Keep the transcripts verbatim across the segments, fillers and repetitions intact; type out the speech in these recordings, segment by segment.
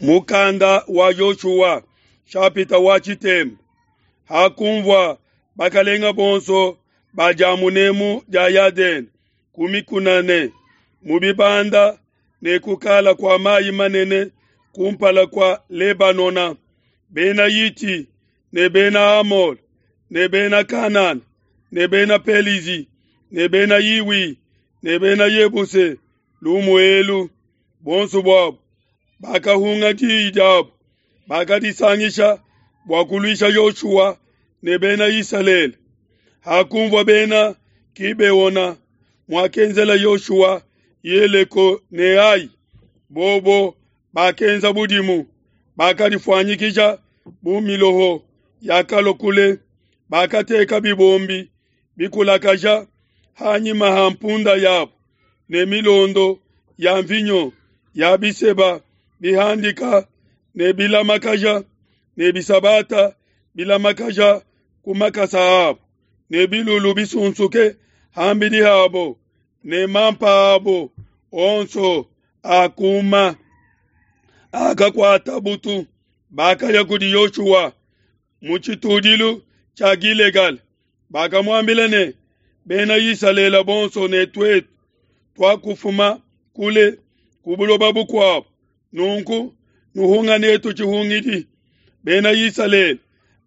Mukanda wa Yoshua nshapita wa tshitemba. Hakunvua bakalenga bonso ba dia munemu dia Yadene ku mikuna ne mu bibanda ne kukala kua mayi manene kumpala kua Lebanona, bena Hiti ne bena Amole ne bena Kanana ne bena Pelizi ne bena Hiwi ne bena Yebuse lumu elu, bonso buabo bakahunga diyi diabo, bakadisangisha bua kuluisha Yoshua ne bena Isalele. Hakunvua bena Gibeona muakenzela Yoshua Yeleko ne Ai, bobo bakenza budimu, bakadifuanyikija bu miloho yakalua kule, bakateka bibombi bikulakaja hanyima ha mpunda yabo ne milondo ya nvinyo ya biseba bihandika ne bilamakaja ne bisabata bilamakaja ku makasa abo ne bilulu bisunsuke ham'bidi habo ne mampa abo onso akuma akakuata butu. Bakaya kudi Yoshua mu tshitudilu tshia Gilegala, bakamuambila ne, Bena Isalele bonso ne tuetu tuakufuma kule ku buloba bukuabo, nunku nuhunga netu tshihungidi. Bena Isalele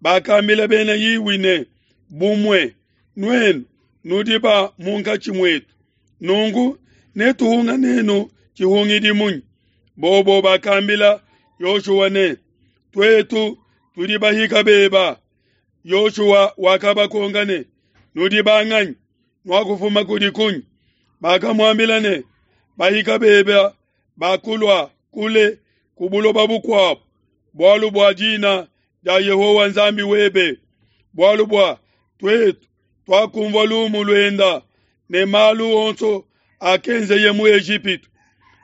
bakambila bena Hiwi ne, Bumue nuenu nudi ba munkatshi muetu, nunku netuhunga nenu tshihungidi munyi? Bobo bakambila Yoshua ne, Tuetu tudi bahika beba. Yoshua wakabakonka ne, Nudi banganyi? Nuakufuma kudi kunyi? Bakamuambila ne, Bahika beba bakulua kule ku buloba bukuabo, bualu bua dina dia Yehowa Nzambi webe, bualu bua tuetu tuakunvua lumu luenda ne malu onso akenzeye mu Ejipitu,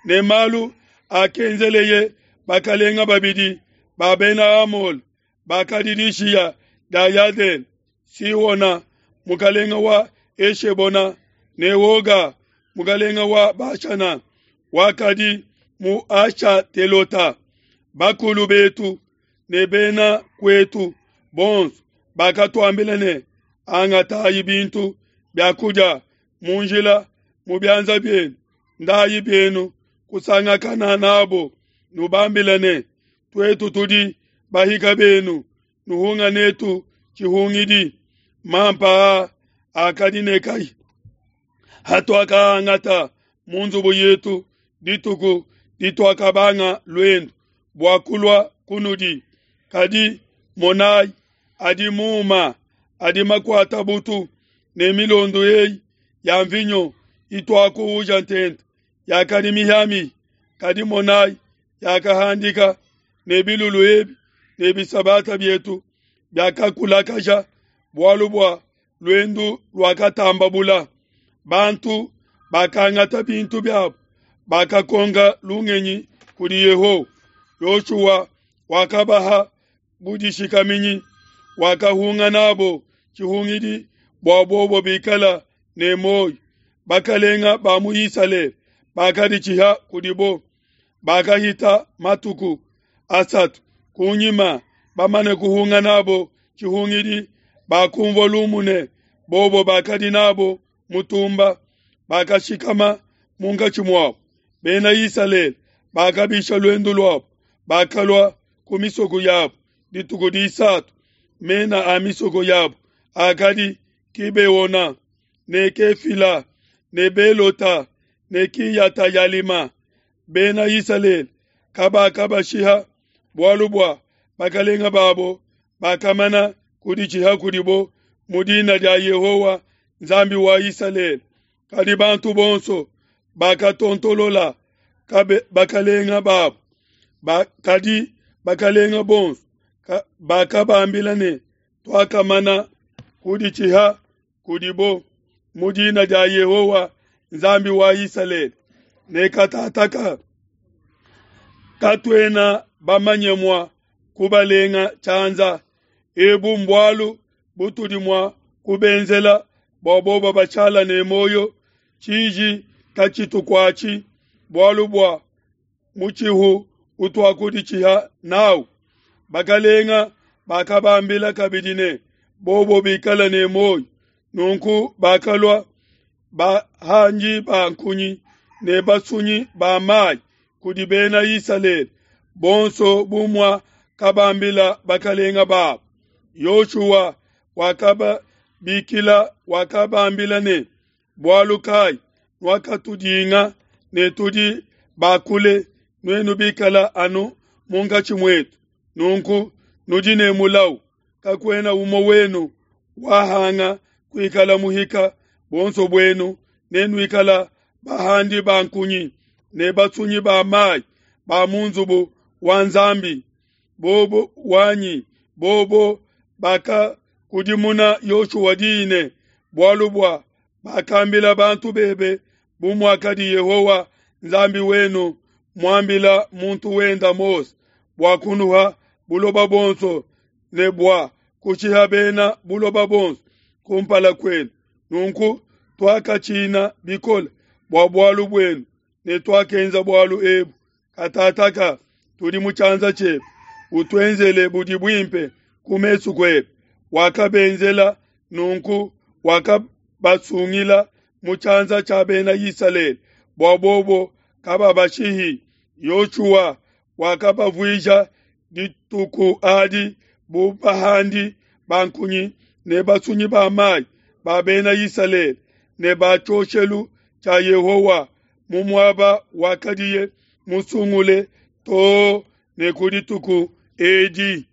ne malu akenzeleye bakalenga babidi ba bena Amole bakadi dishiya dia Yadene, Sihona mukalenga wa Eshebona ne Oga mukalenga wa Bashana wakadi mu Ashatelota. Bakulu betu ne bena kuetu bonso bakatuambila ne, Angatayi bintu bia kudia mu njila mu bianza bienu, ndayi bienu kusangakana nabo, nubambile ne, Tuetu tudi bahika benu, nuhunga netu tshihungidi. Mampa a akadi ne kai hatuakaangata mu nzubu yetu dituku dituakabanga luendu bua kulua kunudi, kadi monayi adi muma adi makuata butu ne milondo eyi ya nvinyo ituakuuja ntente yakadi mihiamihi, kadi monayi yakahandika, ne bilulu ebi ne bisabata bietu biakakulakaja, bualu bua luendu luakatamba bula. Bantu bakangata bintu biabo, bakakonka lungenyi kudi Yehowa. Yoshua wakabaha budishikaminyi, wakahunga nabo tshihungidi bua bobo bikala ne muoyo. Bakalenga ba mu Isalele bakaditshiha kudibo. Bakahita matuku asatu kunyima bamane kuhunga nabo tshihungidi, bakunvua lumu ne bobo bakadi nabo mutumba, bakashikama munkatshi muabo. Bena Isalele bakabisha luendu luabo, bakalua ku misoko yabo dituku disatu. Mena a misoko yabo akadi Gibeona ne Kefila ne Belota ne Kiyata-yalima. Bena Isalele kabakabashiha, bualu bua bakalenga babo bakamana kuditshiha kudibo mu dina dia Yehowa Nzambi wa Isalele. Kadi bantu bonso bakatontolola bakalenga babo. Ba, kadi bakalenga bonso bakabambila ne, Tuakamana kuditshiha kudibo mu dina dia Yehowa Nzambi wa Isalele, ne katataka katuena bamanye mua kubalenga tshianza. Ebu mbualu butudi mua kubenzela bua bobo bashala ne muoyo, tshiji katshitukuatshi, bualu bua mutshihu utuakuditshiha n'au. Bakalenga bakabambila kabidi ne, bobo bikala ne muoyo. Nunku bakalua bahangi ba nkunyi ne basunyi ba mayi kudi bena Isalele bonso bu muakabambila bakalenga babo. Yoshua wakababikila wakabambila ne, bualu kayi nuakatudinga ne tudi bakule, nuenu bikala anu munkatshi muetu? Nunku nudi ne mulau, kakuena umue wenu wahanga kuikala muhika, buonso buenu nenuikala bahandi ba nkunyi ne basunyi ba mayi ba mu nzubu wa Nzambi. Bobo wanyi bobo bakakudimuna Yoshua diyi ne, bualu bua bakambila bantu bebe bu muakadi Yehowa Nzambi wenu muambila muntu wenda Mose bua kunuha buloba bonso ne bua kushiha bena buloba bonso kumpala kuenu. Nunku tuakatshina bikole bua bualu buenu ne tuakenza bualu ebu. Katataka tudi mu tshianza tshiebe, utuenzele budi buimpe ku mesu kuebe. Wakabenzela nunku, wakabasungila mu tshianza tshia bena Isalele bua bobo kababashihi. Yoshua wakabavuija dituku adi bu bahandi ba nkunyi ne basunyi ba mayi ba bena Isalele ne ba tshioshelu tshia Yehowa mu muaba wakadiye musungule too ne ku dituku edi.